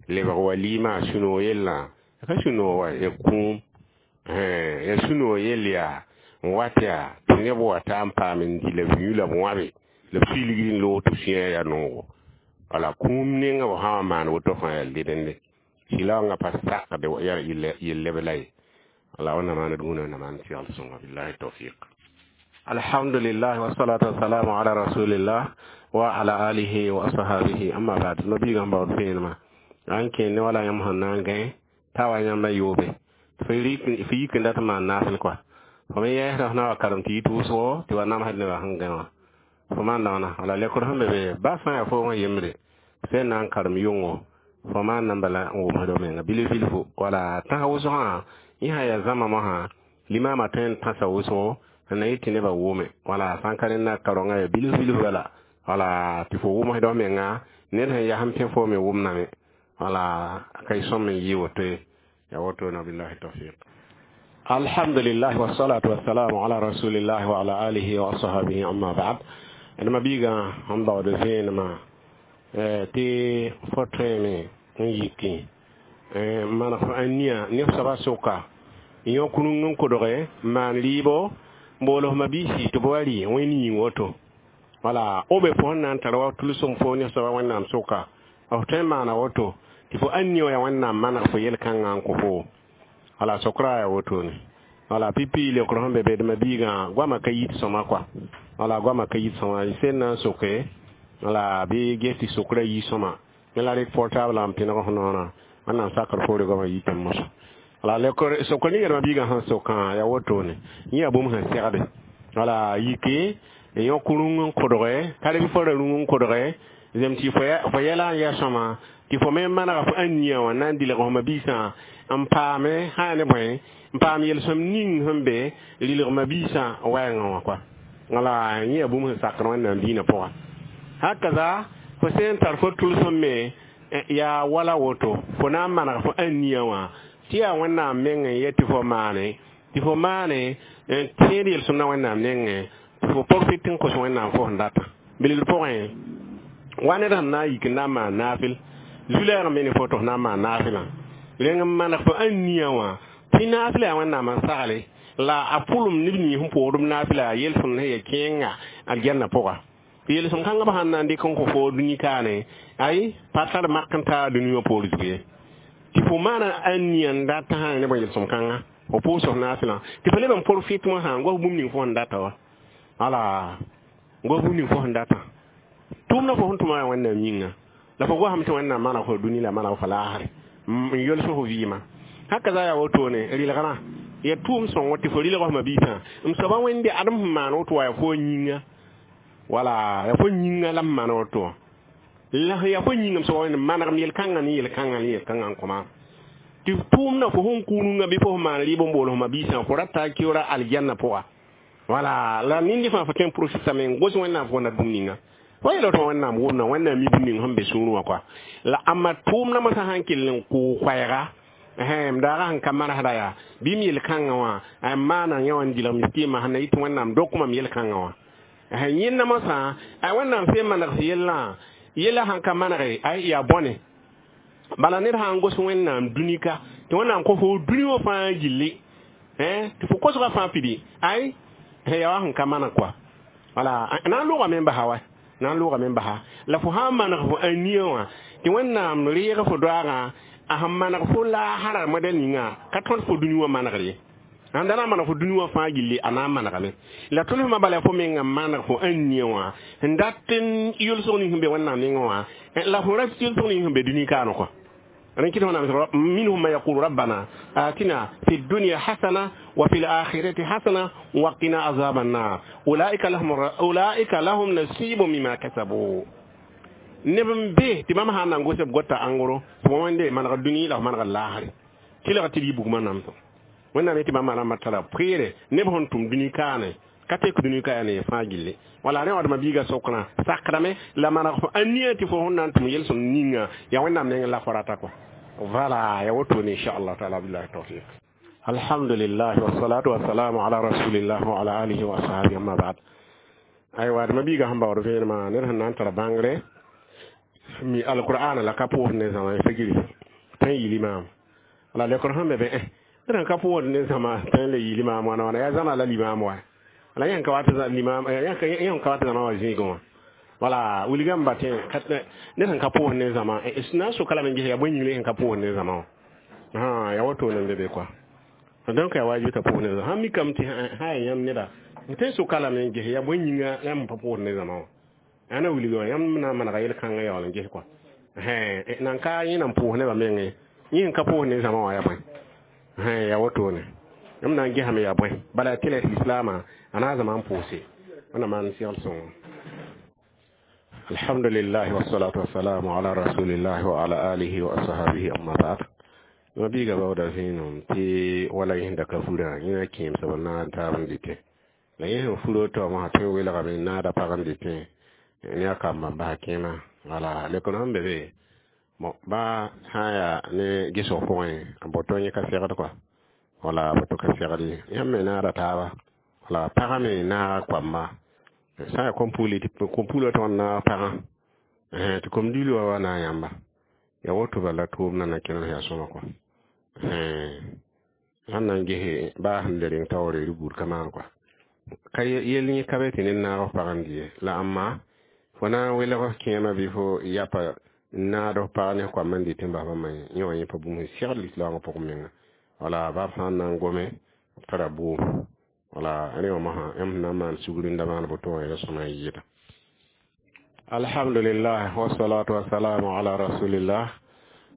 lebg walima sũ-noog yellã ka sũ-noog wa ya kũum ya sũ-noog yell yaa n wat yaa tɩ neb wa ta n paam n dɩ la b yũ la b wãbe la b sui ligd n loog tɩ b sũyã yaa noogo wala kũum ninga b sã wa maan woto fãa yaa ledende sɩlaoongã pa sakde yaa yell leb la ye wala wẽnnaam maan d gũud wẽnnaam maan segl sõnga billahi tawfiq. Alhamdulillah wassalatu wassalamu ala rasulillah wa ala alihi wa ashabihi amma ba'd. Mabiigã baood vẽenemã n kẽ ne wala yãmb sẽn na n gãe t'a wa yãmba yoobe fo yik n dat n maan naasl kɔa fo me yɛɛsda f na wa karem tɩ yit wʋsgo tɩ wa namsd nebã sẽn gã wã fo maan daoona wala lekr sẽn be be ba sã n yaa foongã yembre sẽn na n karem yʋngo fo maan na n bala n wʋmsd f menga bilf bilfu wala tãs wʋsgã yẽ sã yaa zãma mosã limama tõe n tãsa wʋsgo n na yɩ tɩ nebã wʋme wala sã n ka rẽnda karonga yaa bilf bilf bala wala tɩ fo wʋmsd f menga ned sẽn yas n pẽ fo me wʋmdame wala ka y sõm n yɩ woto ye ya woto na billahi tawfiq. Alhamdulillah wassalatu wassalamu ala rasulillah wa ala alihi wa ashabihi amma ba'd. D mabiigã sẽn baood vẽenemã tɩ fo tõeme n yiki n maneg a nia neb soabã sʋka n yõ kurung n kodge n maan rɩɩbo n bool f mabiisi tɩ b wa rɩ wẽnd yĩng woto wala o be fo sẽn na n tar wa tʋlsem fo neb soabã wẽnnaam sʋka f tõe n maana woto tɩ fo ãn nia wã yaa wẽnnaam maneg fo yel-kãngã n kõ fo wala sokra yaa wotone wala pipi leokr sẽn be be d mabiigã goamã ka yit sõma kɔa wala goamã ka yit sõma y sẽn na n soke wala bɩ ges tɩ sokra yi sõma ne la rɩk portable n pẽneg f noorã wẽnnaam sakr foore goamã yitame mosã wala leokr sokr ninga d mabiigã sẽn sokã yaa wotone yẽ yaa bũmb sẽn segde wala yike n yõ kurung n kodge ka bɩ fo ra rũng n kodge zem tɩ fo yɛla n yaa sõma tɩ fo me manega fo ãn nia wã na n dilg f mabiisã n paame sã yaa ne bõe n paam yel-sõm ning sẽn be rɩlg mabiisã wɛɛngã wã kɔa wala yẽ yaa bũmb sẽn sakd wẽnnaam diinã pʋga hakaza fo sẽn tar fo tʋlsem me yaa wala woto fo na n maneg fo ãn nia wã tɩ yaa wẽnnaam meng n yet tɩ fo maane tɩ fo maane n tẽed yel-sõm na wẽnnaam nengẽ tɩ fo profit n kos wẽnnaam fo sẽn data bilgr pʋgẽ wa ned sẽn na n yik n na n maan naafɩl zu-lɛɛg me ne fo tɩ f na n maan naafɩlã rẽng n maneg fo ãn nia wã tɩ naafɩla yaa wẽnnaam n sagle la a pʋlem neb nins sẽn pʋʋsd b naafɩla yaa yel-sõmd sẽn ya kẽenga aljanna pʋga yel-sõm kãngã b sãn na n dɩk n kõ fo dũni kaane ay pa tar mak n taa dũni wã poor zug ye tɩ fo maana ãn nia n dat sã ne bõe yel-sõm kãnga fo pʋʋs f naafɩlã tɩ fo leb n profit wã sã n gos bũmb ning fo sẽn data wa wala gos bũmb ning fo sẽn data tʋʋmdã fo sẽn tʋma yaa wẽnnaam yĩnga la fo gosame tɩ wẽnnaam maneg fo dũni la maneg fo laasre n yols fo vɩɩmã haka za yaa wotone rɩlgrã ya tʋʋm sõngo tɩ fo rɩlg f mabiisã m soaba wẽnde adem sẽn maan woto wa yaa fo yĩnga wala yaa fo yĩnga la m maan woto wã la yaa fo yĩnga m soaba wẽnde manegem yel-kãngã ne yel-kãngã ne yel-kãngã n kõ maam tɩ tʋʋmdã fo sẽn kũununga bɩ fo sẽn maan rɩɩb n bool f mabiisã fo rata keoora aljanna pʋga wala la nindi fãa fo tõe n profitame n gos wẽnnaam fo na bũmb ninga fo yeela tɩ wẽnnaam wʋmna wẽnnaam mi bũmb ning sẽn be sũurẽ wã kɔa la ãmba tʋʋmdã mosã sãn kell n kʋʋ koɛɛga m daaga sẽn ka manesda yaa bɩ m yel-kãngã wã n maana yẽ wã n dɩlg miskiimã sẽn na yɩ tɩ wẽnnaam dok mam yel-kãngã wã yẽnda mosã a wẽnnaam sẽn maneg yellã yella sãn ka manege ay yaa bõne bala ned sã n gos wẽnnaam dũni ka tɩ wẽnnaam kõ fo dũni wã fãa gilli tɩ fo kosgã fãa pidi ay yaa wa sẽn ka maneg kɔa wala na n loogame n basa wa na n loogame n basa la fo sã n maneg fo ãn nia wã tɩ wẽnnaam reeg fo doaagã a sẽn maneg fo laasara modɛl ninga ka tõd fo dũni wã manegr ye sãn da na n maneg fo dũni wã fãa gilli a na n manegame la tʋlsmã bala fo menga n maneg fo ãn nia wã n dat n yʋlsg ning sẽn be wẽnnaam nengẽ wã la fo ra yʋlsg ning sẽn be dũni kaane kɔa رنكده هنا منهم ما يقول ربنا آتنا في الدنيا حسنة وفي الآخرة حسنة وقنا عذاب النار أولئك لهم أولئك لهم نصيب مما كسبوا نبم به تمام هانا نغوسب غوتا انغورو ومن من الدنيا لا من الآخرة كلا تبي بوغما نامتو wannan ne ti ba mara matara pere ne bon tum duni kane Ka tek dũni ka yaa ne fãa gilli. Wala rẽ wã biiga sokrã sakdame la maneg fo a nia tɩ fo sẽn na n tʋm yel-sõm ninga yaa Wẽnnaam nengẽ la fo rata kɔ. Voilà, ya wotone inchallah taala. Billahi tawfiq. Alhamdulillah, wassalatu wassalamu ala rasulillah wa ala alihi wa ashabihi, amma ba'd. Aywa, d mabiiga sẽn baood vẽenemã, ned sẽn na n tar bãngre mi alqur'ana la ka pʋʋsd ne zãma figri tõe n yɩ limaam. La lekr sẽn be be, ned sẽn ka pʋʋsd ne zãma tõe n le yɩ limaam wãna wãna, yaa zãma la limaam wa la yẽn ka wat limaam, yẽn ka wat zãma wã zĩigẽ wã. Wala wilgame ba tẽ ned sẽn ka pʋʋsd ne zãma na n soka lame n ges yaa bõe yĩngre sẽn ka pʋʋsd ne zãma wã. Yaa wotone n be be kɔa. Donc yaa waajib t'a pʋʋsd ne zãma. Sãn mikame tɩ sã yaa yãmb neda n tõe n soka lame n ges yaa bõe yĩnga yãmb pa pʋʋsd ne zãma wã, ãna wilg wã yãmb na n manega yel-kãngã yaool n ges kɔa. Nan ka yẽ nan pʋʋs nebã menge, yẽ sẽn ka pʋʋs ne zãma wã yaa bõe? Yaa wotone yãmb na n gesame yaa bõe bala tɩ la lislaamã a na n zãma n pʋʋse. Wẽnnaam maan segl sõngo. Alhamdulillah, wassalatu wassalamu ala rasulillah wa ala alihi wa ashabihi, amma ba'd. Ma biiga baooda vẽenem tɩ wala yẽsda ka furã yẽ kẽemsb n naag n taab n dɩtẽ la yẽ sẽn furo taoomã tõe n welgame n naada pag n dɩtẽ ne a kamba n basa kẽema. Wala lekr sẽn be be bon, ba sã n yaa ne gesg pʋgẽ, boto yẽ ka segd kɔa, wala boto ka segd ye. Yãmb me naada taaba, wala pagã me naaga koamba sã n yaa kom-pugli tɩ kom-puglã tõg n naag pagã tɩ kom-dili wã wa naag yãmba. Ya woto bala tʋʋmdã na kẽnem yaa sõma kɔa. Sãn na n gese baa sẽn le reng taoore rɩ buud ka maan kɔa, ka yell yẽ ka be tɩ ned naag f pag n dɩ ye. La ãmma fo na n welg kẽemã bɩ fo yapa n naad f pag ne f koam n dɩt n bas bãmba yẽ wã yẽ pa bũmb sẽn segd lislaoongã pʋgẽ menga. Wala bab sã n na n gome b tara bʋʋm, wala rẽ wã mosã yãmb sẽn na n maan sugr n da maan boto wã yaa sõma n yɩɩda. Alhamdulillah, wassalatu wassalamu ala rasulillah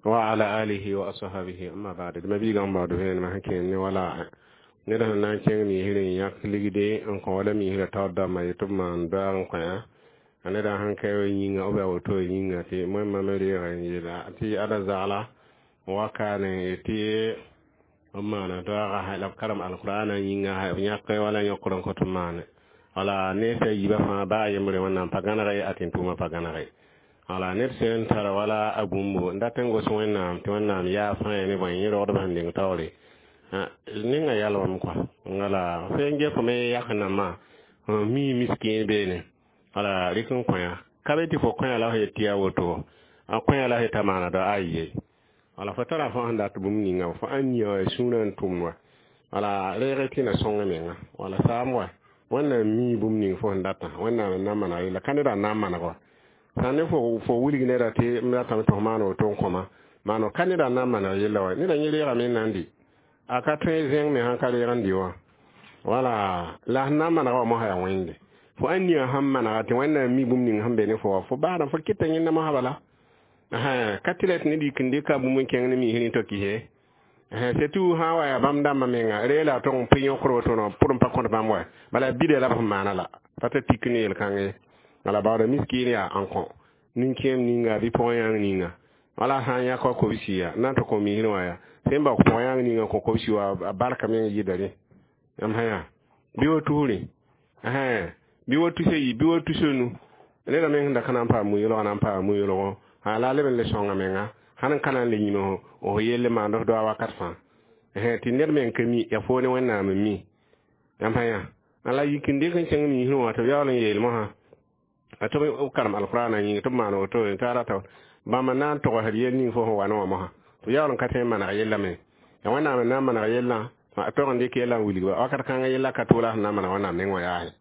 wa ala alihi wa ashabihi, amma ba'd. D mabiigã n baood vẽenemã sẽn kẽen ne wala ned sẽn na n kẽng miisr n yãk ligde n kõ wala miisrã taoor dãmbã yetɩ b maan doaag n kõ a neda sẽn ka yĩnga b yaa woto yĩnga tɩ moẽmã me reega n yeela tɩ ada zagla wakane tɩ b maana doaaga la b karem alqur'ana yĩnga b yãk wala yõkr n kõt n maane. Wala ne sa yiibã fãa baa a yembre Wẽnnaam pa gãneg ye, a tɩ n tʋʋmã pa gãneg ye. Wala ned sẽn tar wala a bũmbo n dat n gos Wẽnnaam tɩ Wẽnnaam yaa fãa ne bõe yẽ rogdbã sẽn deng taoore ninga yalwame kɔa. Wala fo n ges me yak nambã mi miskiin beene, wala rɩk n kõ-yã ka be tɩ fo kõ-yã la f yet tɩ yaa woto, a kõ-yã la f yeta maana dao ayi. Wala fo tara fo sẽn dat bũmb ninga fo ãn nia sũurã n tʋmd wa, wala reeg tɩ na sõng menga wala saam wa. Wẽnnaam mi bũmb ning fo sẽn datã, Wẽnnaam n na n maneg yella ka neda n na n maneg wa. Sã ne fo fo wilg neda tɩ m ratame tɩ f maan woto n kõma maano ka neda n na n maneg yella wa. Neda yẽ reegame n na n dɩ a ka tõe zẽng me sãn ka reeg n dɩ wã. Wala la sẽn na n manega wã mosã yaa wẽnde fo ãn nia sẽn manega tɩ Wẽnnaam mi bũmb ning sẽn be ne fo wã, fo baada fo kɩta yẽnda mosã bala ka tɩ la tɩ ned yik n dɩka bũmb n kẽng ne miisr n to kise. Surtout sã n wa yaa bãmb dãmbã menga ree la a tog n pʋ yõkr woto pʋr n pa kõt bãmb wa bala bida la b sẽn maana la pa t'a tik ne yel-kãng ye. Wala baooda miskiin yaa n kõ nin-kẽem ninga bɩ pʋgẽ yãng ninga, wala sã n yãk wa kobsi ya na n tɩ kõ miisr wã yaa sẽn bao pʋgẽ yãng ninga kõ kobsi wa a barka meng yɩda rẽ yãmb sã yaa bɩ wa tusrẽ bɩ wa tusa yi bɩ wa tusa nu neda meng sẽn da ka na n paam mu-yoolgã na n paama mu-yoolgõ la a leb n le sõnga menga sãn n ka na n le yĩm f yelle maand f doa wakat fãa tɩ ned meng ka mi ya foo ne Wẽnnaam n mi yãmb sã yaa. La yik n dɩk n kẽng miisrẽ wã tɩ b yaool n yeel mosã a tɩ b karem alqur'ana yĩnga tɩ b maan woto tɩ a rata bãmb n na n togsd yel ning fo sẽn wa ne wã mosã tɩ b yaool n ka tõe n maneg yella me ya Wẽnnaam n na n maneg yellã a tog n dɩk yellã n wilgba wakat kãngã yella ka toola sẽn na n maneg Wẽnnaam neng wã yaase.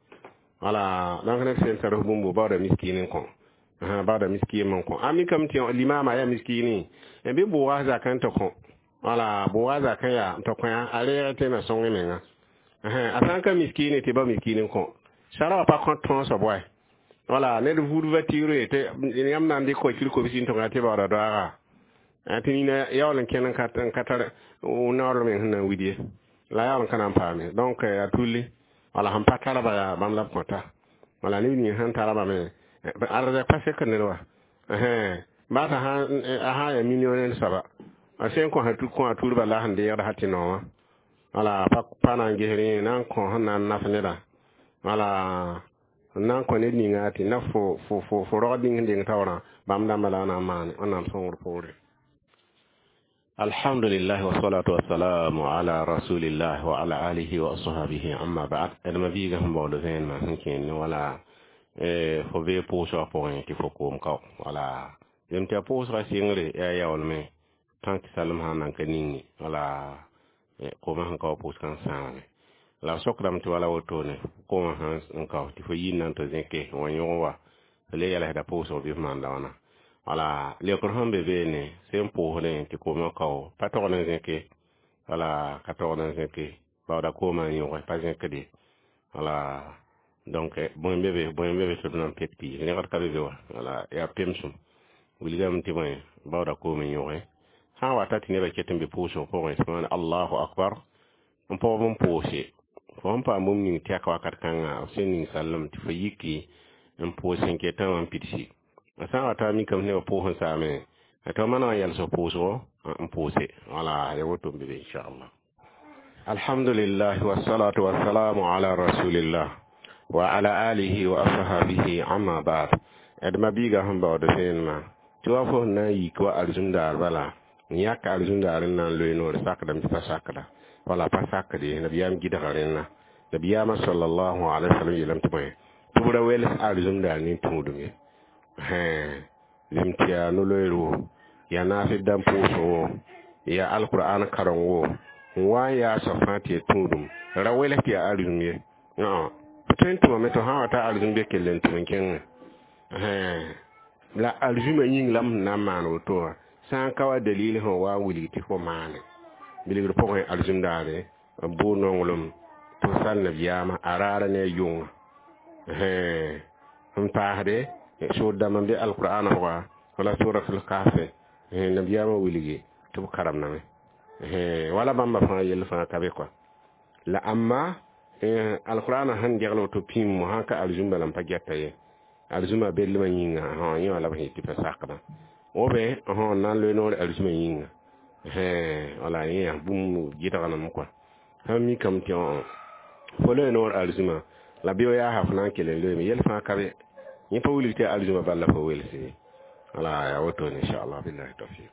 Wala donc ned sẽn tar f bũmbo baooda miskiin n kõ, baooda miskiin n kõ. A mikame tɩ limaamã yaa miskiini bɩ bʋʋga zakã n tɩ kõ, wala bʋʋga zakã yaa n tɩ kõ a reeg tɩ na sõng menga. A sã n ka miskiini tɩ ba miskiin n kõ sara wã pa kõt tõosb wa. Wala ned vuud voiture tɩ yãmb na n dɩk voiture kobsi n tõga tɩ baooda doaaga tɩ nina yaool n kẽn n ka tar naoor meng sẽn na n wid ye la yaool n ka na n paame. Donc yaa tulli wala sẽn pa tarba yaa bãmb la b kõta. Wala neb ning sẽn tarba me arzɛk pa sek ned wa baa t'a sã n yaa millionnaire soaba a sẽn kõ kõ a tuurba la sẽn deegd ha tɩ noowã. Wala pa pa na n ges rẽ na n kõ sẽn na n naf neda. Wala n na n kõ ned ninga tɩ na fo fo fo fo rogd ning sẽn deng taoorã bãmb dãmba la a na n maane Wẽnnaam sõngr poore. Alhamdulillah, wassalatu wassalamu ala rasulillah wa ala alihi wa ashabihi, amma ba'd. D ma biiga sẽn baood vẽenemã sẽn kẽend wala fo bee pʋʋsgã pʋgẽ tɩ fo koom kao wala zem tɩ a pʋʋsgã sɩngre yaa yaoolme tã tɩ salem sã n nan ka ninge wala koomã sẽn ka wa pʋʋsgã n sãamame la b sokdame tɩ wala wotone koomã sẽn kao tɩ fo yir na n tɩ zẽke n wa yõg wa fo le yɛlsda pʋʋsg bɩ f maanda wãna wala leokr sẽn be beene sẽn pʋʋsdẽ tɩ koomã kao pa togd n zẽke wala ka togd n zẽke baooda koomã n yõge pa zẽkde wala donc bõe be be bõe be be tɩ d na n pet piis rẽgd ka be be wa wala yaa pemsem wilgame tɩ bõe baooda koom n yõge sã n wata tɩ nebã ket n be pʋʋsg pʋgẽ tɩ maana Allahu akbar n pɔgb n pʋʋse fo sẽn paam bũmb ning tɛk wakat kãnga b sẽn ning sallem tɩ fo yiki n pʋʋs sẽn ketã wã n pidsi a sã n wata mikame nebã pʋʋs n saame tɩ f maneg n yɛls pʋʋsgo n pʋʋse wala ya woto n be be inchallah. Alhamdulillah, wassalatu wassalamu ala rasulillah wa ala alihi wa ashabihi, amma ba'd. D ma biiga sẽn baood vẽenemã tɩ wa fo sẽn na n yik wa alizũndaar bala n yãk alizũndaar n na n loe noor sakdame tɩ pa sakda wala pa sakde nabiyaam gɩdga rẽnna nabiyaamã sallallahu alaihi wasallam yeelame tɩ bõe tɩ b ra wels alizũndaar nin-tũudum ye zem tɩ yaa no-loeero yaa naasd dãmb pʋʋsgo yaa alqur'an karengo n wa n yaa soab fãa tɩ ya tũudum ra wels tɩ yaa alizũm ye tõe n tʋmame tɩ sã n wa ta alizũm be kell n tʋm n kẽngẽ la alizũmã yĩng la m sẽn na n maan woto wã sã n ka wa dalil sẽn wa n wilg tɩ fo maane bilgr pʋgẽ alizũm daare b bʋ nonglem tɩ f sal nabiyaamã a raara ne a yʋnga n paasde soor dãmb n be alqur'ana pʋga wala suratul kahfe nabiyaamã wilgi tɩ b karemdame wala bãmba fãa yell fãa ka be kɔa la amma alqur'ana sẽn degl woto pĩm sã ka alizũm bala n pa gɛta ye alizũmã bellmã yĩnga yẽ wã la b sẽn tɩ pa sakdã obe n na n loe noor alizũmã yĩnga wala yẽ yaa bũmb gɩdgname kɔa sãn mikame tɩ fo loe noor alizũmã la bɩ yaa sã fo na n kell n loeeme yell fãa ka be yẽ pa wilg tɩ alizũmã bal la fo welse wala yaa wotone inchallah billahi tawfiq.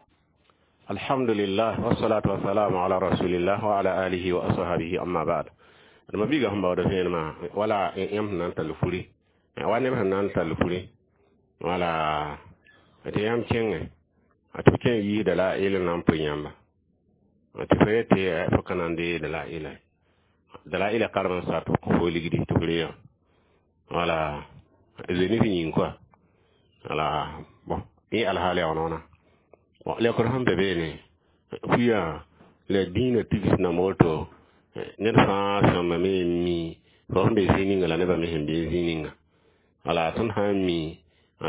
Alhamdulillah, wassalatu wassalamu ala rasulillah wa ala alihi wa ashabihi, amma ba'd. Ma biiga sẽn baood vẽenemã wala yãmb sẽn na n tall furi wa neb sẽn na n tall furi wala tɩ yãmb kẽngẽ tɩ b kẽng yiisda la ɩl n na n pʋɩ yãmba tɩ fo yetɩ fo ka na n dee dalaila dalaila karem n sa tɩ fo ligdi tɩ f reega wala zoe yĩng kɔa wala bon yẽ alhaal yaa wãna bon lekr sẽn be beene fuya la dĩinã tigs nam woto ned fãa sõmame n mi fo sẽn be zĩ ninga la nebã me sẽn be zĩ ninga wala tõnd sã n mi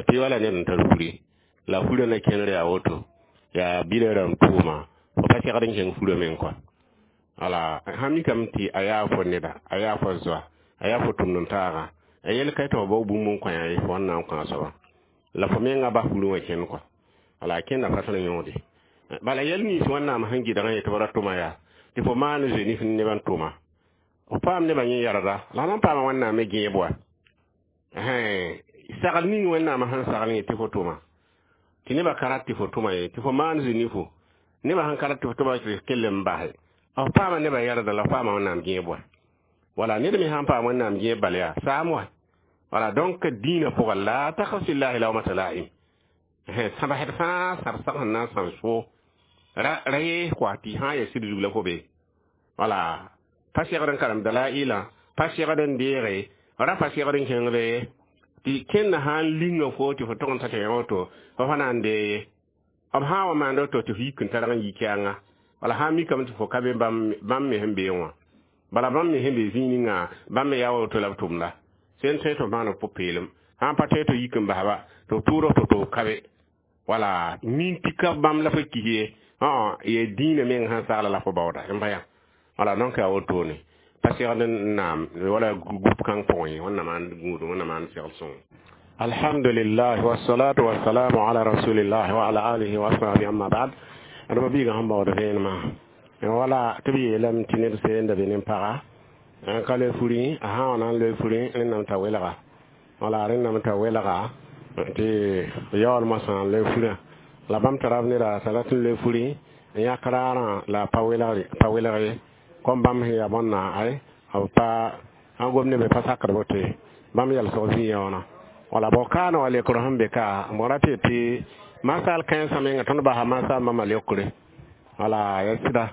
tɩ wala ned n tar furi la furã na kẽner yaa woto yaa bida rãmb tʋʋma fo pa segd n kẽng furã meng kɔa wala sã mikame tɩ a yaa fo neda a yaa fo zoa a yaa fo tʋmd n taaga a yel ka tɩ fo bao bũmb n kõ yaa fo n na n kõ a soaba la fo menga bas furã wã kẽnd kɔa wala a kẽnda pa tõe n yõode bala yɛl nins Wẽnnaam sẽn gɩdg n yetɩ b ra tʋma yaa tɩ fo maan zoe nif nebã n tʋma f paam nebã yẽ yarda la nan paama Wẽnnaam me gẽeb wa sagl ning Wẽnnaam sẽn sagl yẽ tɩ fo tʋma tɩ nebã ka rat tɩ fo tʋma ye tɩ fo maan zoe nifo nebã sẽn ka rat tɩ fo tʋma tɩ kell n base f paama nebã yarda la f paama Wẽnnaam gẽeb wa wala ned me sãn paam Wẽnnaam gẽeb bal yaa saam wa wala donc dĩinã pʋga la takhaf fillahi lawmata laim sãbsd fãa sãb sag sẽn na n sãm so ra ra yees kɔa tɩ sã n ya sɩd zug la fo be wala pa segd n karem dalaila pa segd n deege ra pa segd n kẽngde ye tɩ kẽnda sã n linga fo tɩ fo tog n ta tɩ yã woto fo fa na n dee ye b sã n wa maand woto tɩ fo yik n targ n yi kɛɛnga wala sã n mikame tɩ fo ka be bãmb me sẽn bee wã bala bãmb me sẽn be zĩig ninga bãmb me yaa woto la b tʋmda sẽn tõe tɩ f maan b pʋ-peelem sã n pa tõe tɩ yik n basba tɩ b tʋʋd tɩ tɩ ka be wala min tɩ ka bãmb la fo kis ye ya dĩinã meng sẽn sagla la fo baooda n pa yã wala donc yaa wotone pa segd n naam wala groupe kãng pʋgẽ ye Wẽnnaam maan gũudum Wẽnnaam maan segl sõngo. Alhamdulillah, wassalatu wassalamu ala rasulillah wa ala alihi wa ashabihi, amma ba'd. Adama biiga sẽn baood vẽenemã wala tɩ b yeelame tɩ ned seenda be nin-paga N ka le furi, a sã wa na n loe furi, rẽnnam t'a welga. Wala rẽnnam t'a welga tɩ yaool moasã n loe furã. La bãmb tara b neda t'a rat n loe furi n yãk raarã la a pa welgre, pa welg ye. Kom bãmb sẽn yaa bõnna ay b pa sãn gom ne be pa sakd woto ye. Bãmb yalsg zĩ-yaoonã. Wala bao kaana wa leokr sẽn be ka b ra tɩ tɩ masaal kãensã menga tõnd basa masaal bãmba leokre. Wala ya sɩda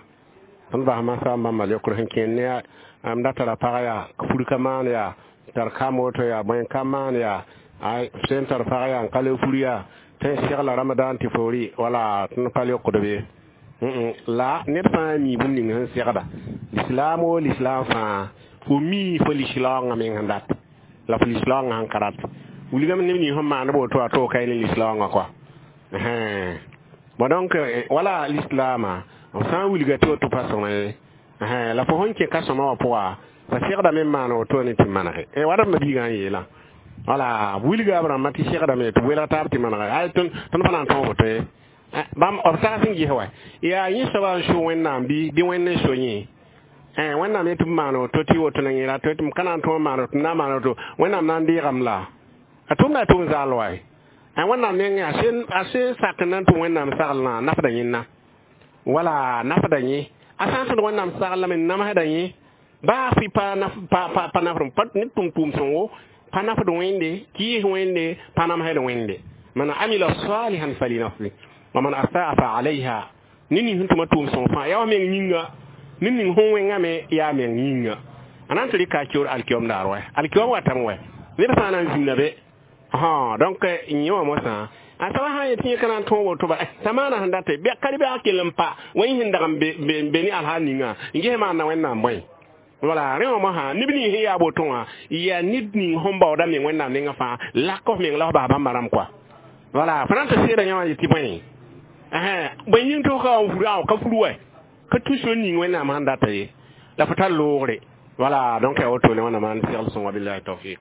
tõnd basa masaal bãmba leokre sẽn kẽnd ne m da tara pag yaa fur ka maan yaa tar ka moto yaa bõe ka maan yaa ay sẽn tar pag yaa n ka le fur yaa tɩ n segla ramadan tɩ foori wala tõnd pa leokd be. La ned fãa mi bũmb ning sẽn segda lislaam o lislaam fãa fo mi fo lislaoongã meng sẽn dat la fo lislaoongã sẽn ka rat wilgame neb ning sẽn maand woto a to ka ne lislaoongã kɔa. Bon, donc wala lislaamã b sã n wilga tɩ woto pa sõma ye, la fo sẽn kẽ ka sõma wã pʋga fa segdame n maan woto ne tɩ manege wala m mabiigã n yeelã. Wala wilga b rãmbã tɩ segdame tɩ welg taab tɩ manege ay tõnd pa na n tõog woto ye. Bãmb b sags n ges wa yaa yẽ soaba n so Wẽnnaam bɩ bɩ Wẽnd n so yẽ. Wẽnnaam yetɩ b maan woto tɩ woto na yẽra tɩ m ka na n tõog maan woto m na n maan woto Wẽnnaam na n deegame la a tʋmda a tʋm zaal wa. Wẽnnaam nengẽ a sẽn sak n na n tʋm Wẽnnaam saglã nafda yẽnna wala nafda yẽ a sã n tõd Wẽnnaam saglame n namsda yẽ baa fɩ pa pa nafd pa ned tʋm tʋʋm sõngo pa nafd Wẽnde kɩɩs Wẽnde pa namsd Wẽnde. Man amila salihan falinafsi wa man asaa fa alayha. Ned ning sẽn tʋma tʋʋm sõng fãa yaa wa meng yĩnga, ned ning sẽn wẽngame yaa meng yĩnga. A na n tɩ rɩka a keoor alkiom daar wɛ alkiom watame wɛ neb sã n na n zĩnda be. Donc yẽ wã mosã a soaba sã n yet tɩ yẽ ka na n tõog woto ba t'a maana sẽn date ka bɩ a kell n pa wa yẽ sẽn dag n be ne alhaal ninga n ges maanda Wẽnnaam bõe. Wala rẽ wã mosã neb ning sẽn yaa woto wã yaa ned ning sẽn baooda meng Wẽnnaam nengã fãa lak f meng la f bas bãmba rãmb kɔa. Wala fo na n tɩ seeda yã wã yetɩ bõe bõe yĩng tɩ f ka wa n fur a ka fur wɛ ka tũ sor ning Wẽnnaam sẽn data ye la fo tar loogre. Wala donc yaa woto ne Wẽnnaam n segl sõnga billahi tawfiq.